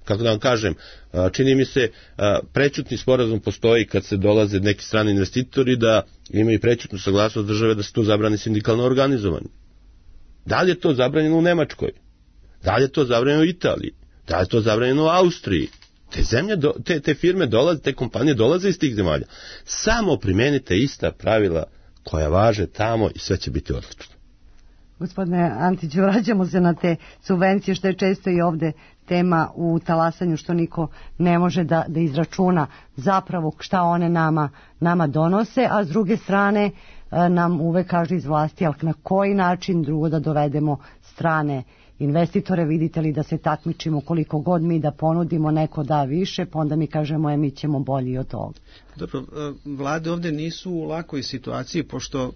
kako da vam kažem, čini mi se prećutni sporazum postoji kad se dolaze neki strani investitori da imaju prećutnu saglasnost države da se tu zabrani sindikalno organizovanje. Da li je to zabranjeno u Nemačkoj? Da li je to zabranjeno u Italiji? Da li je to zabranjeno u Austriji? Te zemlje, do, te, te firme dolaze, te kompanije dolaze iz tih zemalja. Samo primenite ista pravila koja važe tamo i sve će biti odlično. Gospodine Antiću, vraćamo se na te subvencije, što je često i ovde tema u talasanju, što niko ne može da, da izračuna zapravo šta one nama, nama donose, a s druge strane nam uvek kažu iz vlasti, ali na koji način drugo da dovedemo strane investitore, vidite li da se takmičimo koliko god mi da ponudimo, neko da više, pa onda mi kažemo je mi ćemo bolji od toga. Dobro, vlade ovde nisu u lakoj situaciji, pošto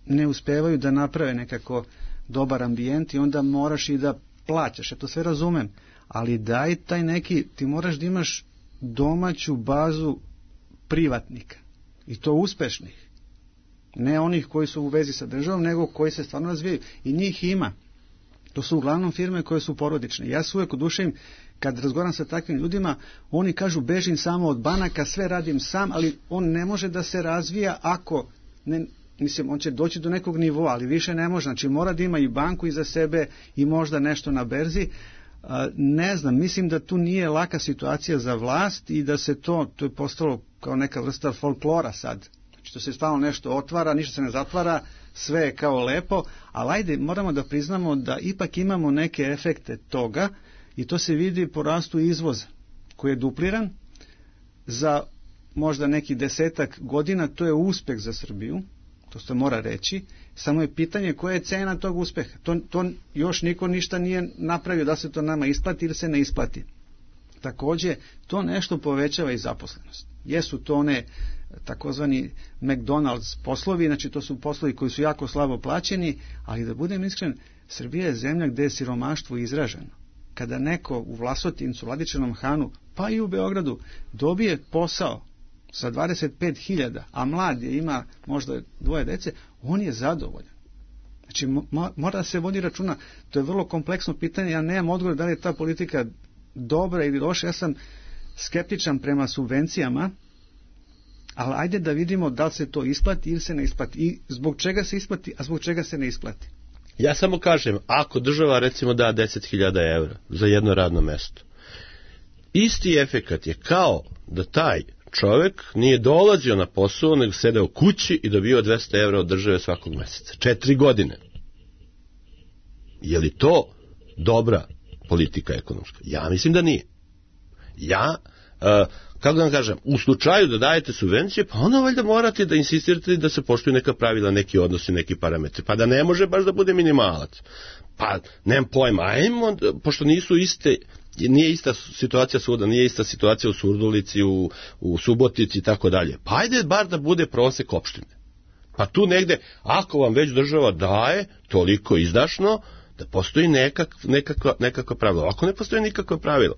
ne uspevaju da naprave nekako dobar ambijent i onda moraš i da plaćaš, ja to sve razumem, ali daj taj neki, ti moraš da imaš domaću bazu privatnika i to uspešnih, ne onih koji su u vezi sa državom, nego koji se stvarno razvijaju i njih ima. To su uglavnom firme koje su porodične. Ja se uvijek oduševim kad razgovaram sa takvim ljudima, oni kažu bežim samo od banaka, sve radim sam, ali on ne može da se razvija ako, ne, mislim, on će doći do nekog nivoa, ali više ne može. Znači mora da ima i banku iza sebe i možda nešto na berzi. Ne znam, mislim da tu nije laka situacija za vlast i da se to, to je postalo kao neka vrsta folklora sad. Znači to se stvarno nešto otvara, ništa se ne zatvara, sve je kao lepo, ali ajde, moramo da priznamo da ipak imamo neke efekte toga i to se vidi po rastu izvoza. koji je dupliran za možda neki desetak godina. To je uspeh za Srbiju, to se mora reći, samo je pitanje koja je cena tog uspeha. To, to još niko ništa nije napravio da se to nama isplati ili se ne isplati. Takođe, to nešto povećava i zaposlenost. Jesu to one takozvani McDonald's poslovi, znači to su poslovi koji su jako slabo plaćeni, ali da budem iskren, Srbija je zemlja gde je siromaštvo izraženo. Kada neko u Vlasotincu, Vladičinom Hanu, pa i u Beogradu, dobije posao sa dvadeset pet hiljada, a mlad je, ima možda dvoje dece, on je zadovoljan. Znači, mora da se vodi računa. To je vrlo kompleksno pitanje, ja nemam odgovor da li je ta politika dobra ili loša, ja sam skeptičan prema subvencijama, ali ajde da vidimo da li se to isplati ili se ne isplati i zbog čega se isplati, a zbog čega se ne isplati. Ja samo kažem, ako država recimo da deset hiljada evra za jedno radno mesto, isti efekat je kao da taj čovek nije dolazio na posao, nego sedeo kući i dobio dvesta evra od države svakog meseca. Četiri godine. Je li to dobra politika ekonomska? Ja mislim da nije. Ja, uh, kako da vam kažem, u slučaju da dajete subvencije, pa onda valjda morate da insistirate da se poštuju neka pravila, neki odnosi, neki parametri, pa da ne može baš da bude minimalac. Pa, nemam pojma, ajmo, pošto nisu iste, nije ista situacija svuda, nije ista situacija u Surdulici, u, u Subotici i tako dalje. Pa ajde bar da bude prosek opštine. Pa tu negde, ako vam već država daje toliko izdašno, da postoji nekak, nekakva, nekakva pravila. Ako ne postoji nikakva pravila.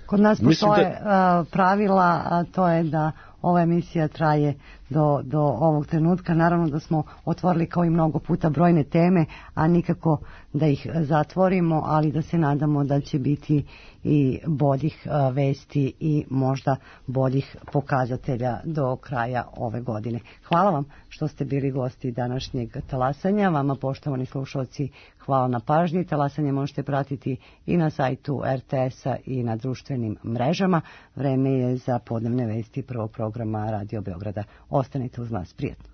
Kod nas postoje da... uh, pravila, a to je da ova emisija traje do, do ovog trenutka. Naravno da smo otvorili kao i mnogo puta brojne teme, a nikako da ih zatvorimo, ali da se nadamo da će biti i boljih uh, vesti i možda boljih pokazatelja do kraja ove godine. Hvala vam što ste bili gosti današnjeg talasanja. Vama, poštovani slušalci, hvala na pažnji. Talasanje možete pratiti i na sajtu er te esa i na društvenim mrežama. Vreme je za podnevne vesti prvog programa Radio Beograda. Ostanite uz nas, prijetno.